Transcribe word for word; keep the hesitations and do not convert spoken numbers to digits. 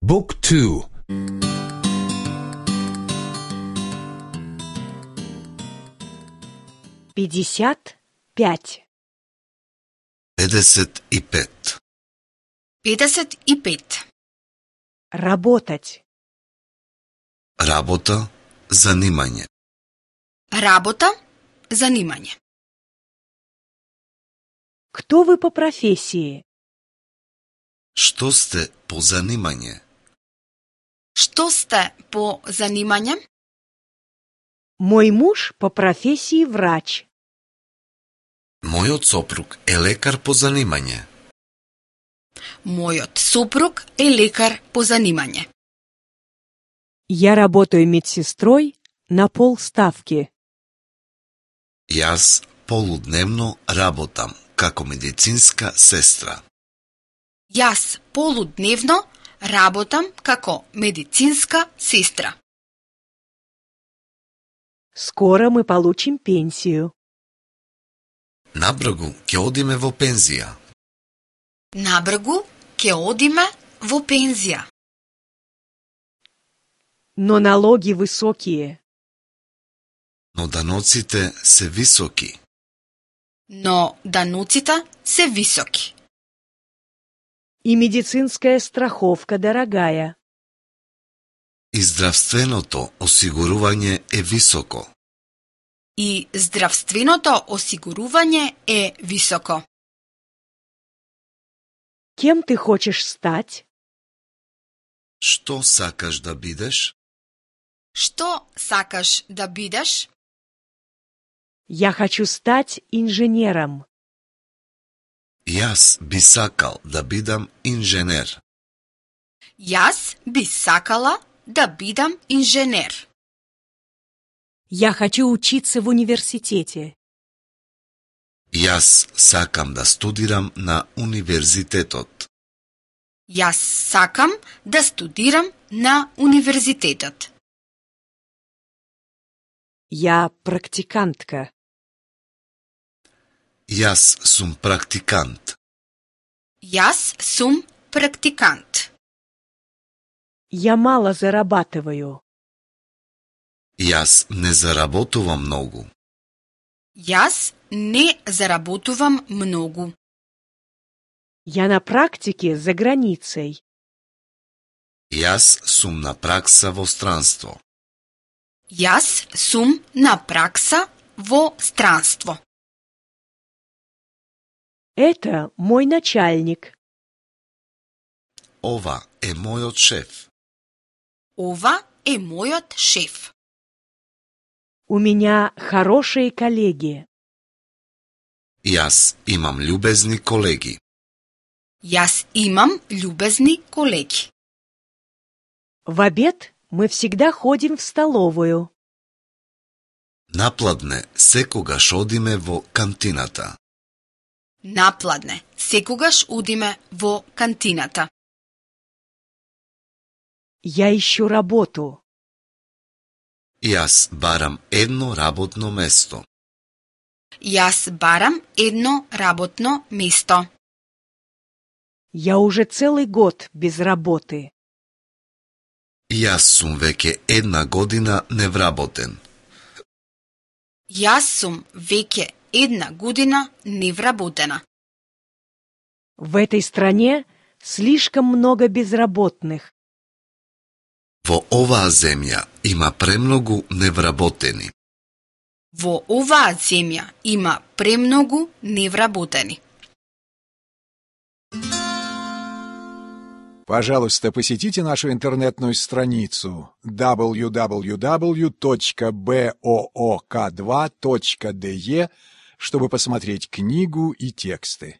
Book two. пятьдесят пять. педесет и пет. педесет и пет. Работать. Работа, занимање. Работа, занимање. Кто вы по профессии? Што сте по занимање? Што сте по занимање? Мой муж по профессии врач. Мојот сопруг е лекар по занимање. Мојот сопруг е лекар по занимање. Я работаю медсестрой на полставки. Јас полудневно работам како медицинска сестра. Јас полудневно работам како медицинска сестра. Скоро мы получим пенсию. Набргу ќе одиме во пензија. Набргу ќе одиме во пензија. Но налоги высокие. Но даноците се високи. Но дануците се високи. И медицинская страховка дорогая. И здравственото осигурување е високо. И здравственото осигурување е високо. Кем ты хочешь стать? Што сакаш да бидеш? Што сакаш да бидеш? Я хочу стать инженером. Јас би сакал да бидам инженер. Јас би сакала да бидам инженер. Я хочу учиться в университете. Јас сакам да студирам на универзитетот. Јас сакам да студирам на универзитетот. Я практикантка. Јас сум практикант. Јас сум практикант. Я мало зарабатываю. Јас не заработувам многу. Јас не заработувам многу. Я на практике за границей. Јас сум на пракса во странство. Јас сум на пракса во странство. Это мой начальник. Ова е мојот шеф. Ова е мојот шеф. У меня хорошие коллеги. Јас имам љубезни колеги. Јас имам љубезни колеги. В обед мы всегда ходим в столовую. Напладне секогаш одиме во кантината. Напладне секогаш одиме во кантината. Я ищу работу. Јас барам едно работно место. Јас барам едно работно место. Я уже целый год без работы. Јас сум веќе една година невработен. Јас сум веќе една година невработена. В этой стране слишком много безработных. Во оваа земја има премногу невработени. Во оваа земја има премногу невработени. Пожалуйста, посетите нашу интернетную страницу дабл ю дабл ю дабл ю точка боок два точка де, чтобы посмотреть книгу и тексты.